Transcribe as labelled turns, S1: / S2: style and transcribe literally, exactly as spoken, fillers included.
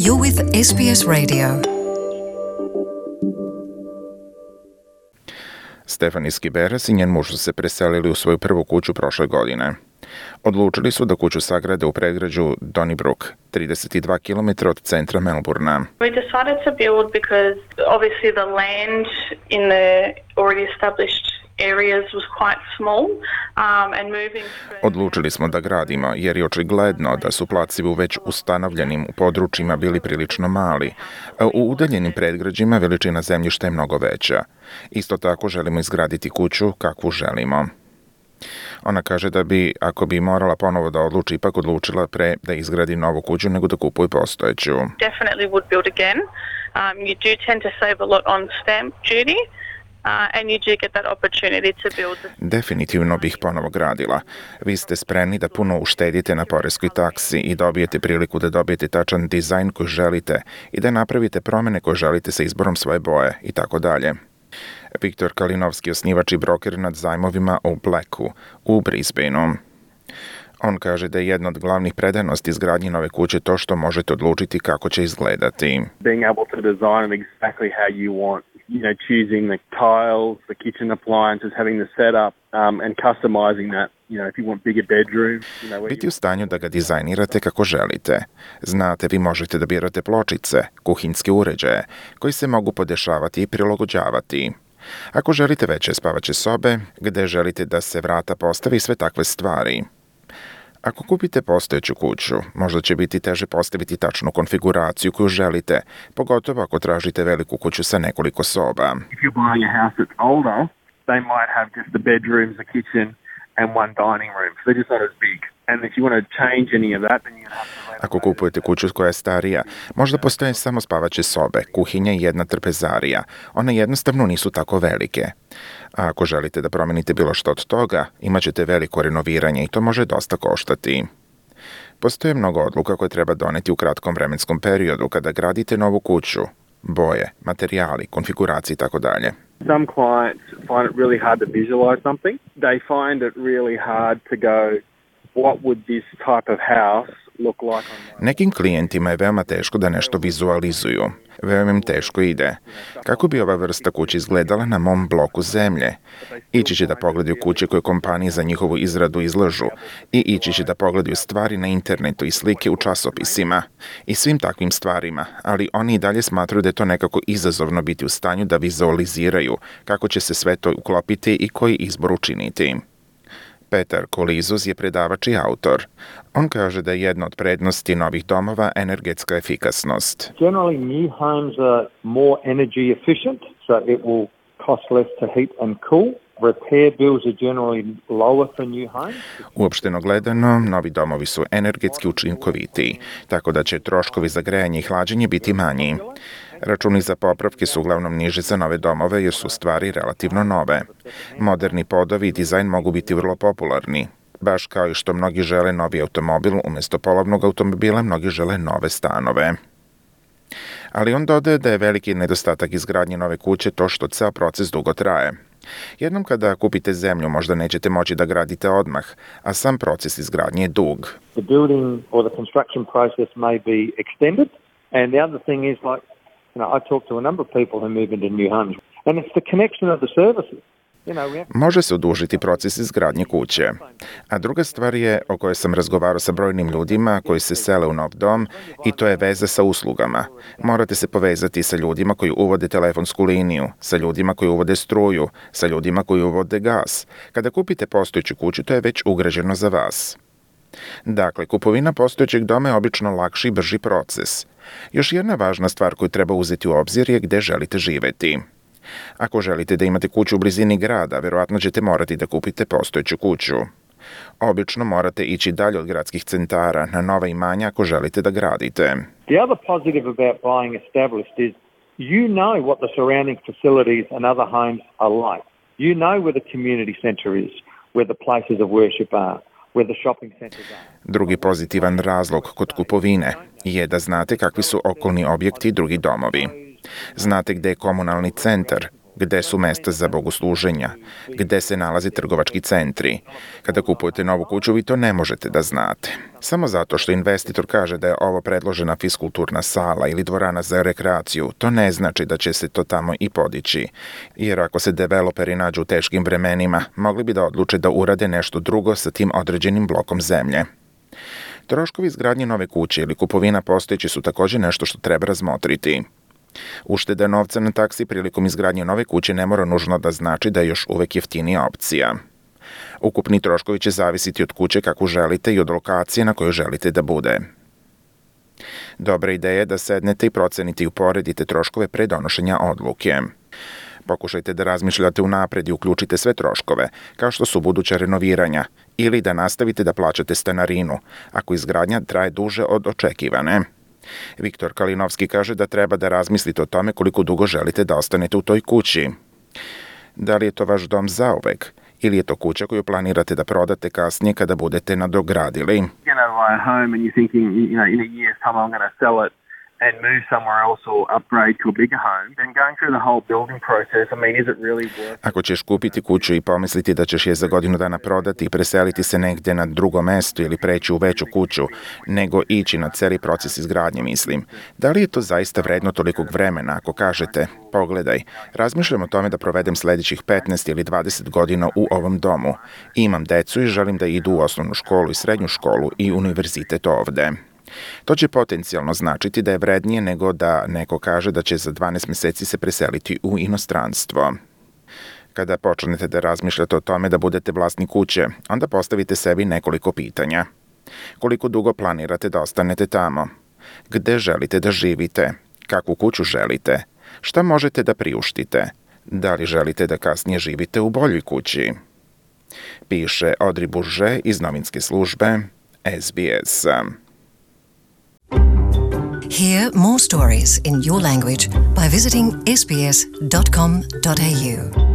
S1: You're with S B S Radio.
S2: Stephanie Skiberas i njen muž su se preselili u svoju prvu kuću prošle godine. Odlučili su da kuću sagrade u predgrađu Donnybrook, trideset dva kilometra od centra Melbourna.
S3: We decided to build because obviously the land in the already established areas was quite small um, and moving to...
S2: Odlučili smo da gradimo jer je očigledno da su placevi u već ustanovljenim područjima bili prilično mali, a u udaljenim predgrađima veličina zemljišta je mnogo veća. Isto tako želimo izgraditi kuću kakvu želimo. Ona kaže da bi, ako bi morala ponovo da odluči, ipak odlučila pre da izgradi novu kuću nego da kupuje postojeću.
S3: Definitely would build again. Um, you do tend to save a lot on stamp duty. Uh, and you do get that opportunity to build the...
S2: Definitivno bih ponovo gradila. Vi ste spremni da puno uštedite na poreskoj taksi i dobijete priliku da dobijete tačan dizajn koji želite i da napravite promene koje želite sa izborom svoje boje i tako dalje. Viktor Kalinovski, osnivač i broker nad zajmovima u Blacku u Brisbaneu. On kaže da je jedna od glavnih predanosti izgradnji nove kuće to što možete odlučiti kako će izgledati.
S4: Being able to design it exactly how you want, you know, choosing the tiles, the kitchen appliances, having the setup um, and customizing that, you know, if you want bigger bedrooms, you know,
S2: Biti u stanju da ga dizajnirate kako želite. Znate, vi možete da birate pločice, kuhinjske uređaje, koji se mogu podešavati i prilagođavati. Ako želite veće spavaće sobe, gde želite da se vrata postavi, sve takve stvari. Ako kupite postojeću kuću, možda će biti teže postaviti tačnu konfiguraciju koju želite, pogotovo ako tražite veliku kuću sa nekoliko soba.
S4: If you're buying a house that's older, they might have just the bedrooms, the kitchen and one dining room. So they're just not as big. And if you want to change any of that, then you have to...
S2: Ako kupujete kuću koja je starija, možda postoje samo spavaće sobe, kuhinja i jedna trpezarija. One jednostavno nisu tako velike. A ako želite da promenite bilo što od toga, imat ćete veliko renoviranje i to može dosta koštati. Postoje mnogo odluka koje treba doneti u kratkom vremenskom periodu kada gradite novu kuću. Boje, materijali, konfiguracije i tako dalje.
S4: Some clients find it really hard to visualize something. They find it really hard to go, what would this type of house look like on my...
S2: Nekim klijentima je veoma teško da nešto vizualizuju. Veoma im teško ide. Kako bi ova vrsta kuće izgledala na mom bloku zemlje? Ići će da pogledaju kuće koje kompanije za njihovu izradu izlažu i ići će da pogledaju stvari na internetu i slike u časopisima i svim takvim stvarima, ali oni i dalje smatruju da je to nekako izazovno biti u stanju da vizualiziraju kako će se sve to uklopiti i koji izbor učiniti. Petar Kolizuz je predavač i autor. On kaže da je jedna od prednosti novih domova energetska efikasnost.
S5: Generally, new homes are more energy efficient, so it will cost less to heat and cool. Repair bills are generally lower for new homes.
S2: Uopšteno gledano, novi domovi su energetski učinkovitiji, tako da će troškovi za grejanje i hlađenje biti manji. Računi za popravke su uglavnom niži za nove domove jer su stvari relativno nove. Moderni podovi i dizajn mogu biti vrlo popularni. Baš kao i što mnogi žele novi automobil, umjesto polovnog automobila mnogi žele nove stanove. Ali on dodaje da je veliki nedostatak izgradnje nove kuće to što ceo proces dugo traje. Jednom kada kupite zemlju možda nećete moći da gradite odmah, a sam proces izgradnje je dug.
S5: The building or the construction process may be extended, and the other thing is like, you know, I talk to a number of people who move into new homes, and it's the connection of the services.
S2: Može se odužiti proces izgradnje kuće. A druga stvar je o kojoj sam razgovarao sa brojnim ljudima koji se sele u nov dom i to je veza sa uslugama. Morate se povezati sa ljudima koji uvode telefonsku liniju, sa ljudima koji uvode struju, sa ljudima koji uvode gas. Kada kupite postojeću kuću, to je već ugrađeno za vas. Dakle, kupovina postojećeg doma je obično lakši i brži proces. Još jedna važna stvar koju treba uzeti u obzir je gde želite živeti. Ako želite da imate kuću u blizini grada, verovatno ćete morati da kupite postojeću kuću. Obično morate ići dalje od gradskih centara na nova imanja ako želite da gradite.
S5: The other positive about buying established is you know what the surrounding facilities and other homes are like. You know where the community centre is, where the places of worship are, where the shopping centres are.
S2: Drugi pozitivan razlog kod kupovine je da znate kakvi su okolni objekti i drugi domovi. Znate gde je komunalni centar, gde su mesta za bogosluženja, gde se nalaze trgovački centri. Kada kupujete novu kuću, vi to ne možete da znate. Samo zato što investitor kaže da je ovo predložena fiskulturna sala ili dvorana za rekreaciju, to ne znači da će se to tamo i podići. Jer ako se developeri nađu u teškim vremenima, mogli bi da odluče da urade nešto drugo sa tim određenim blokom zemlje. Troškovi izgradnje nove kuće ili kupovina postojeće su također nešto što treba razmotriti. Ušteda novca na taksi prilikom izgradnje nove kuće ne mora nužno da znači da je još uvek jeftinija opcija. Ukupni troškovi će zavisiti od kuće kakvu želite i od lokacije na kojoj želite da bude. Dobra ideja je da sednete i procenite i uporedite troškove pre donošenja odluke. Pokušajte da razmišljate unapred i uključite sve troškove, kao što su buduća renoviranja, ili da nastavite da plaćate stanarinu, ako izgradnja traje duže od očekivane. Viktor Kalinovski kaže da treba da razmislite o tome koliko dugo želite da ostanete u toj kući. Da li je to vaš dom zauvek, ili je to kuća koju planirate da prodate kasnije kada budete nadogradili?
S4: You know, buy a home and you're thinking, you know, in a year's time I'm going to sell it and move somewhere else or upgrade to a bigger home, then going through the whole building process, I mean, is it really worth it?
S2: Ako ćeš kupiti kuću i pomisliti da ćeš je za godinu dana prodati i preseliti se negde na drugo mesto ili preći u veću kuću, nego ići na celi proces izgradnje, mislim. Da li je to zaista vredno tolikog vremena ako kažete, pogledaj, razmišljam o tome da provedem sledećih petnaest ili dvadeset godina u ovom domu. Imam decu i želim da idu u osnovnu školu i srednju školu i univerzitet ovde. To će potencijalno značiti da je vrednije nego da neko kaže da će za dvanaest meseci se preseliti u inostranstvo. Kada počnete da razmišljate o tome da budete vlasnik kuće, onda postavite sebi nekoliko pitanja. Koliko dugo planirate da ostanete tamo? Gde želite da živite? Kakvu kuću želite? Šta možete da priuštite? Da li želite da kasnije živite u boljoj kući? Piše Audrey Bourget iz novinske službe S B S.
S1: Hear more stories in your language by visiting s b s dot com dot a u.